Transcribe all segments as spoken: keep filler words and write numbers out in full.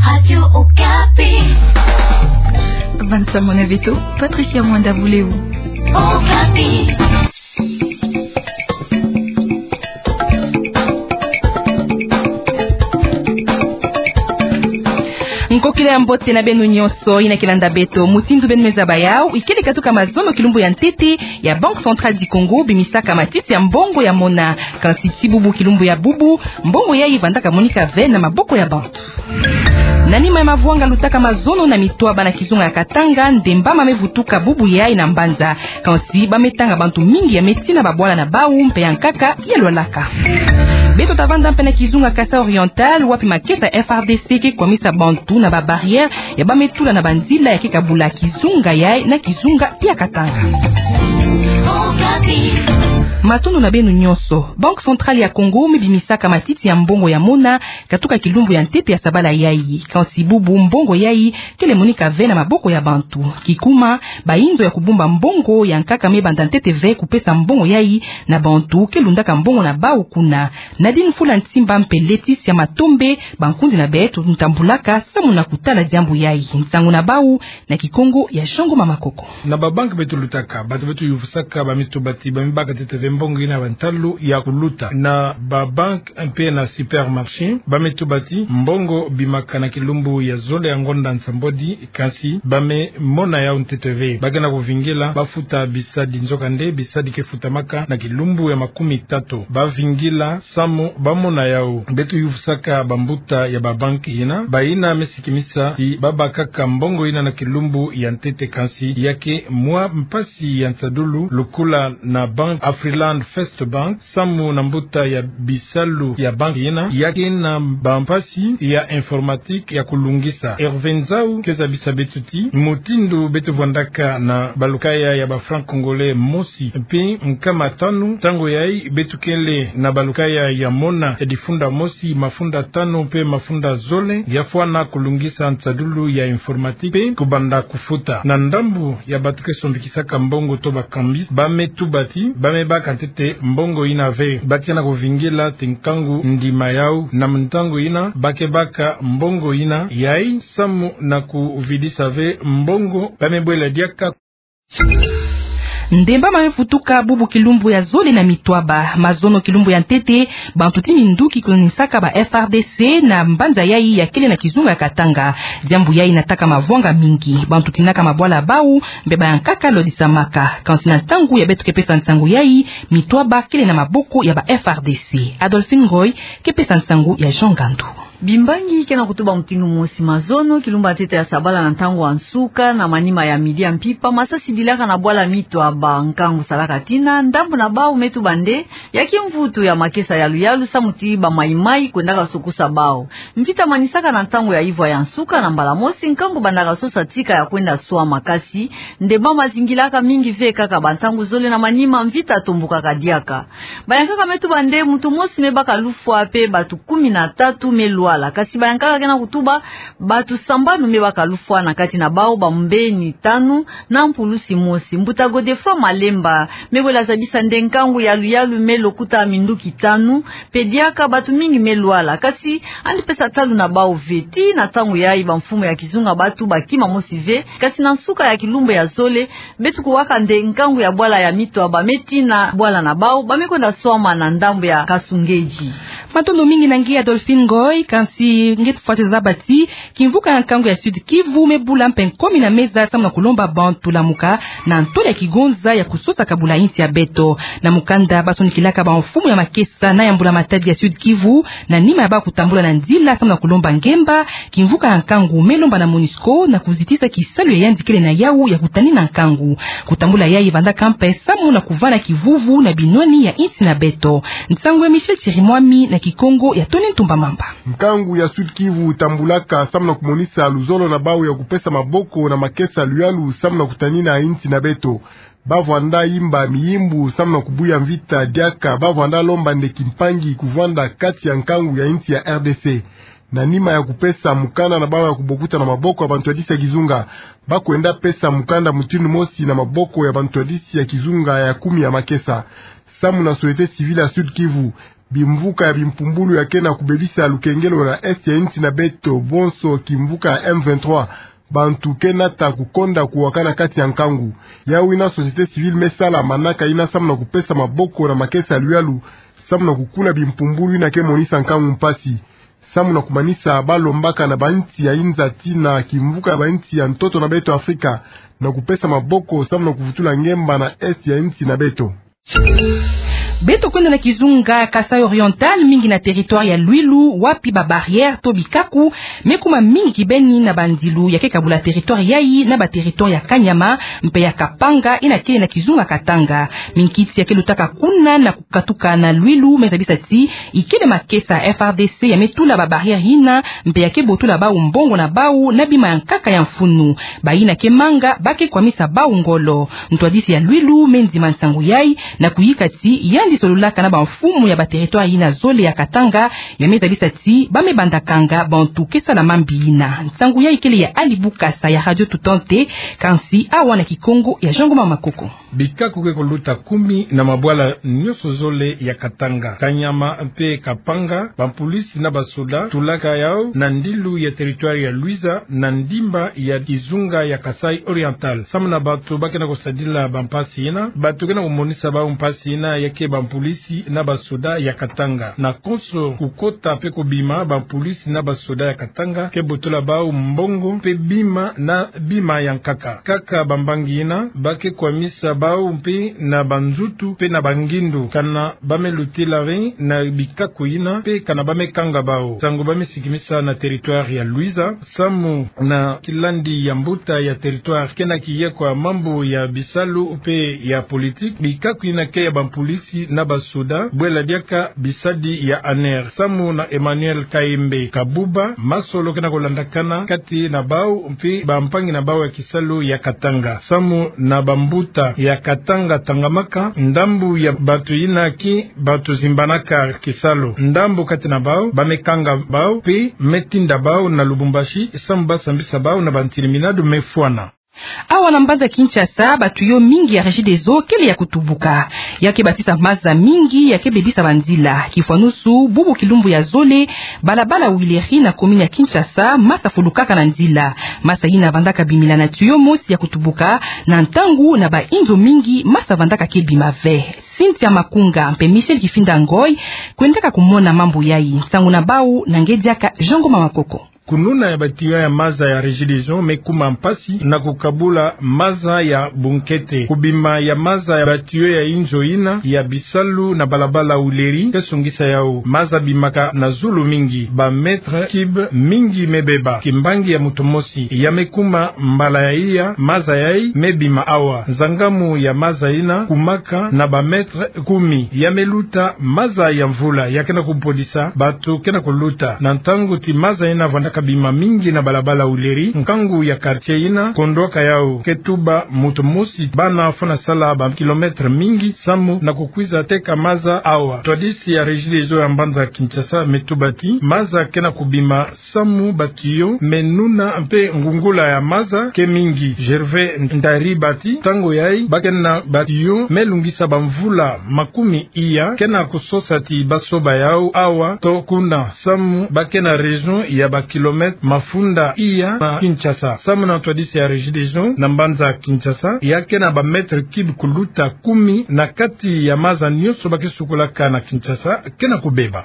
Radio Okapi. Vincent Monaveto, Patricia Mwanda Buleu. Okapi. Nkokila ya mbote na beno nyonso yina ke landa beto. Mutindu beno me zaba yau, ikele katuka mazono kilumbu ya ntete ya Banque Centrale du Congo bimisaka matiti ya mbongo ya mona. Kansi tii bubu kilumbu ya bubu, mbongo yayi vandaka monika ve na maboko ya bantu. Na nima ya mavwanga lutaka mazono na mitwaba na kizunga ya Katanga, ndemba ma me vutuka bubu yayi na mbanza. Kansi ba me tanga bantu mingi ya me tina babwala na bau mpe ya nkaka ya lwalaka. Beto ta vanda mpe na kizunga Kasaï Oriental, wapi makesa F R D C ke kwamisa bantu na ba barrière ya ba me tula na banzila ya ke kabula kizunga yayi na kizunga ya Katanga. Matondo na beno nyonso. Banque Centrale ya Congo me bimisaka matiti ya mbongo ya mona katuka kilumbu ya ntete ya sabala yayi. Kansi bubu mbongo yayi kele monika ve na maboko ya bantu. Kikuma, bainzo ya kubumba mbongo ya nkaka me banda ntete ve kupesa mbongo yayi na bantu ke lundaka mbongo na bau kuna. Nadine Mfula Nsimba mpe Laetitia Matombe, bankundi na beto, ntambulaka samu na kutala diambu yayi. Nsangu na bau na Kikongo ya Jean Ngoma Makoko. Na ba banque beto lutaka, bato beto yuvusaka ba me tuba ti ba me baka ntete ve mbongo yina na ba ntalu ya kuluta. Na ba banque mpe na supermarché, ba me tuba ti mbongo bimaka na kilumbu ya zole ya ngonda nsambwadi, kansi ba me mona yau ntete ve. Ba ke na kuvingila ba futa bisadi, nzokande bisadi ke futamaka na kilumbu ya makumi tatu. Ba vingila samu ba mona yau. Beto yuvusaka bambuta ya ba banque yina, bayina me sikimisa ti ba bakaka mbongo yina na kilumbu ya ntete, kansi ya ke mwa mpasi ya nsadulu lukula na banque Afriland First Bank, samu na mbuta ya bisalu ya banque yina, ya ke na bampasi ya informatique ya kulungisa. Hervé Nzau ke zabisa beto ti mutindu beto vwandaka na balukaya ya ba francs congolais mosi mpe nkama tanu, ntangu yayi beto kele na balukaya ya mona ya difunda mosi, mafunda tanu mpe mafunda zole, ya fwana kulungisa nsadulu ya informatique mpe kubanda kufuta. Na ndambu ya bato ke sombikisaka mbongo to ba cambistes, ba me tuba ti ba me baka ntete mbongo yina ve. Ba ke na kuvingila ti nkangu ndima yau, na mu ntangu yina ba ke baka mbongo yina yayi samu na kuvidisa ve mbongo ba me bwela diaka. Ndemba ma me vutuka bubu kilumbu ya zole na mitwaba. Mazono kilumbu ya ntete, bantu ti minduki kunanisaka ba F R D C na mbanza yayi ya kele na kizunga ya Katanga. Diambu yayi nataka mavwanga mingi. Bantu tinaka mabwala bau, mpe ba ya nkaka lodisamaka. Kansi na ntangu ya beto ke pesa nsangu yayi, mitwaba kele na maboko ya ba F R D C. Adolphine Ngoy ke pesa nsangu ya Jean Ngandu. Bimbangi ke na kutuba mutindu mosi. Mazono kilumbu ya ntete ya sabala na ntangu ya nsuka, na manima ya midi ya mpimpa, masasi dilaka na bwala mitwaba. Nkangu salaka tina, ndambu na bau me tuba nde ya kimvutu ya makesa ya luyalu samu ti ba maimai kwendaka sokusa bau. Mvita manisaka na ntangu ya ivwa ya nsuka, na mbala mosi nkangu bandaka sosa tika ya kwenda swama. Kasi ndemba mazingilaka mingi ve, kaka ba ntangu zole na manima mvita atombokaka diaka. Ba ya nkaka me tuba nde muntu mosi me baka lufwa mpe bato kumi na tatu me lwala. Kasi ba ya nkaka ke na kutuba bato sambanu me baka lufwa, na kati na bau bambeni tanu na mpulusi mosi. Mbuta Godefroid Malemba me wela zabisa nde nkangu ya luyalu me lokuta minduki tanu, mpe diaka bato mingi me lwala. Kasi yandi pesa talu na bau ve. Tii na ntangu yayi bamfumu ya kizunga batu bakima mosi ve. Kasi na nsuka ya kilumbu ya zole, beto kuwaka nde nkangu ya bwala ya mitwaba me tina bwala na bau, ba me kwenda swama na ndambu ya Kasungezi. Matondo mingi na nge Adolphine Ngoy. Kansi nge tufweti zaba ti kimvuka ya nkangu ya Sud-Kivu me bula mpe nkomi na meza samu na kulomba bantu lamuka na ntwala ya kigonza ya kusosa kabula insi ya beto. Na mukanda basonikilaka bamfumu ya makesa na ya mbula matadi ya Sud-Kivu, na nima ya bau kutambula na nzila samu na kulomba ngemba, kimvuka ya nkangu me lomba na MONUSCO na kuzitisa kisalu ya yandi kele na yau ya kutanina nkangu. Kutambula yayi vandaka mpe samu na kuvana kivuvu na binwani ya insi na beto. Nsangu ya Michel Chirimwami na Kikongo ya Tony Ntumba Mamba. Nkangu ya Sud-Kivu tambulaka samu na kumonisa luzolo na bau ya kupesa maboko na makesa luyalu samu na kutanina insi na beto. Ba vwanda imba miyimbu samu na kubuya mvita. Diaka ba vwanda lomba nde kimpangi kuvwanda kati ya nkangu ya insi ya R D C. Na nima ya kupesa mukanda na bau ya kubokuta na maboko ya bantu ya disi ya kizunga, ba kwenda pesa mukanda mutindu mosi na maboko ya bantu ya disi ya kizunga ya kumi ya makesa. Samu na société civile ya Sud-Kivu, Bimvuka ya bimpumbulu ya ke na kubebisa lukengelo na est ya insi na beto, bonso kimvuka ya M vingt-trois. Bantu ke nata kukonda kuwakana kati ya nkangu. Yawu yina société civile me sala manaka yina samu na kupesa maboko na makesa ya luyalu, samu na kukula bimpumbulu yina ke monisa nkangu mpasi, samu na kumanisa balombaka na bainsi ya inzati na kimvuka ya bainsi ya ntoto na beto Afrika, na kupesa maboko samu na kuvutula ngemba na est ya insi na beto. Beto kwenda na kizunga Kasaï Oriental, mingi na territoire ya Luilu, wapi ba barrière to bikaku me kuma mingi kibeni na banzilu ya ke kabula territoire yayi na ba territoire ya Kaniama mpe ya Kapanga, yina kele na kizunga Katanga. Minkisi ya ke lutaka kuna na kukatuka na Luilu me zabisa ti ikele makesa F R D C ya me tula ba barrière yina, mpe ya ke botola bawu mbongo na bawu na bima ya nkaka ya mfunu. Bayina ke manga ba ke kwamisa bawu ngolo. Ntwadisi ya Luilu me ndima nsangu yayi na kuyika ti yandi sololaka na bamfumu ya ba territoire yina zole ya Katanga, ya me zabisa ti ba me bandakanga bantu ke sala mambi yina. Nsangu yayi kele ya Ali Bukasa ya Radio Tutante, kansi awa na Kikongo ya Jean Ngoma Makoko. Bikaku ke kuluta kumi na mabwala nyonso zole ya Katanga, Kaniama mpe Kapanga, bampulisi na basoda tulaka yawu na ndilu ya territoire ya Luiza na ndimba ya kizunga ya Kasaï Oriental. Samu na bato ba ke na kusadila bampasi yina, bato ke na kumonisa bawu mpasi yina ya ke bampulisi na basoda ya Katanga. Na konso kukota mpe kubima, bampulisi na basoda ya Katanga ke botola bawu mbongo mpe bima na bima ya nkaka. Kaka bambangi yina, ba ke kwamisa bawu mpe na banzutu mpe na bangindu, kana ba me lutila ve na bikaku yina mpe kana ba me kanga bawu. Nsangu ba me sikimisa na territoire ya Luiza, samu na kilandi ya mbuta ya territoire ke na kiye kwa mambu ya bisalu mpe ya politique, bikaku yina ke ya bampulisi na basoda, bwela diaka bisadi ya ANR. Samu na Emmanuel Kayembe Kabuba, masolo ke na kulandakana kati na bawu mpe bampangi na bawu ya kisalu ya Katanga. Samu na bambuta ya Katanga Tangamaka, ndambu ya bato yina ke bato zimbanaka kisalu, ndambu kati na bawu ba me kanga bawu mpe me tinda bawu na Lubumbashi samu ba sambisa bawu na bantiliminado me fwana. Awa na mbanza Kinshasa, ba tuyau mingi ya Regideso kele ya kutubuka. Ya ke basisa maza mingi ya ke bebisa banzila. Kifwanusu, bubu kilumbu ya zole, balabala Wileri na commune ya Kinshasa, masa fulukaka na nzila. Masa yina vandaka bimila na tuyau mosi ya kutubuka, na ntangu na bainzo mingi masa vandaka ke bima ve. Cynthia Makunga mpe Michel Kifinda Ngoy kwendaka kumona mambu yayi. Nsangu na bawu na nge diaka Jean Ngoma Makoko. Kununa ya ba tuyau ya maza ya Regideso me kuma mpasi na kukabula maza ya bunkete. Kubima ya maza ya ba tuyau ya inzo yina ya bisalu na balabala Wileri ke songisa yawu. Maza bimaka na zulu mingi, ba mètres cubes mingi me beba. Kimbangi ya moto mosi ya me kuma mbala ya iya maza yayi me bima awa. Nzangamu ya maza yina kumaka na ba mètres kumi. Ya me luta maza ya mvula ya ke na kubodisa bato ke na kuluta. Na ntangu ti maza yina vandaka bima mingi na balabala Wileri, nkangu ya quartier yina kondwaka yawu ke tuba moto mosi bana fwana sala ba kilomètres mingi samu na kukwiza teka maza awa. Ntwadisi ya Regideso ya mbanza Kinshasa me tuba ti maza ke na kubima samu ba tuyau me nuna mpe ngungula ya maza ke mingi. Gervais Ndaribati, ntangu yayi ba ke na ba tuyau me lungisa ba mvula makumi iya, ke na kusosa ti ba soba yawu awa to kuna samu ba ke na raison ya ba kilomètres mafunda iya na Kinshasa. Samu na ntwadisi ya Regideso na mbanza Kinshasa, ya ke na ba mètres cubes kuluta kumi na kati ya maza nyonso ba ke sukulaka na Kinshasa ke na kubeba.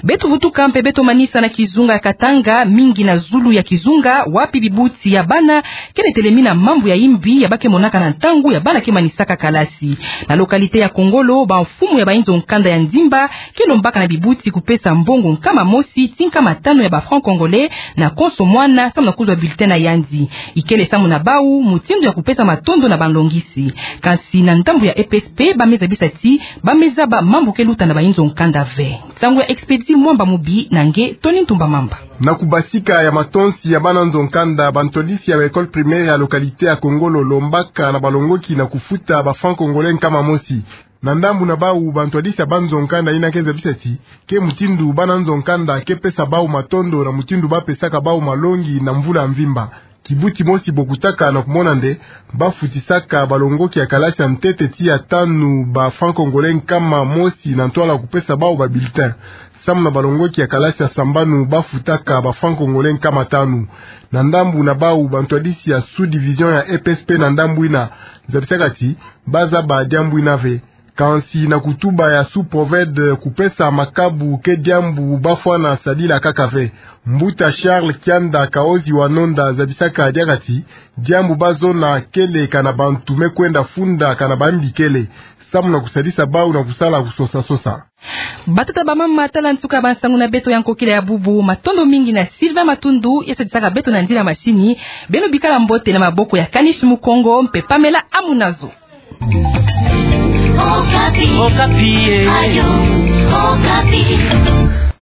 Beto vutuka mpe beto manisa na kizunga ya Katanga, mingi na zulu ya kizunga, wapi bibuti ya bana kele telemina mambu ya imbi ya ba ke monaka na ntangu ya bana ke manisaka kalasi. Na localité ya Kongolo, bamfumu ya bainzo nkanda ya Nzimba ke lombaka na bibuti kupesa mbongo nkama mosi ti nkama tanu ya ba francs congolais na konso mwana samu na kuzwa bulletin na yandi. Ikele samu na bawu mutindu ya kupesa matondo na balongisi. Kansi na ndambu ya E P S P, ba me zabisa ti ba me zaba mambu ke luta na bainzo nkanda ve. Nsangu ya Expedit Mwamba Mubi na nge Tony Ntumba Mamba. Na kubasika ya matonsi ya bana nzo nkanda, bantwadisi ya ba école primaire ya localité ya Kongolo lombaka na balongoki na kufuta ba francs congolais nkama mosi. Na ndambu na bawu, bantwadisi ya banzo nkanda yina ke zabisa ti ke mutindu bana nzo nkanda ke pesa bawu matondo na mutindu ba pesaka bawu malongi na mvula ya mvimba. Kibuti mosi bokutaka na kumona nde bafutisaka balongoki ya kalasi ya ntete tii ya tanu ba francs congolais nkama mosi na ntwala kupesa bau ba bulletin. Samu na balongoki ya kalasi ya sambanu bafutaka ba francs congolais nkama tanu. Na ndambu na bau, bantwadisi ya sous-division ya E P S P na ndambu ina zabisaka ti bazaba diambu ina ve. Kansi na kutuba ya sous-proved, kupesa makabu ke diambu bafwana sadila kaka ve. Mbuta Charles Kianda Kaozi wa Nonda zabisaka diaka ti diambu bazona kele kana bantu me kwenda funda kana bambi kele, samu na kusadisa bau na kusala kusosa-sosa. Batata, bamama, tala nsuka bansangu na beto ya nkokila ya bubu. Matondo mingi na Sylvain Matundu, ya sadisaka beto na nzila masini. Beno bikala mbote na maboko ya Kanish Mukongo mpe Pamela Amunazo. Okapi. Okapi, eh. Radio Okapi.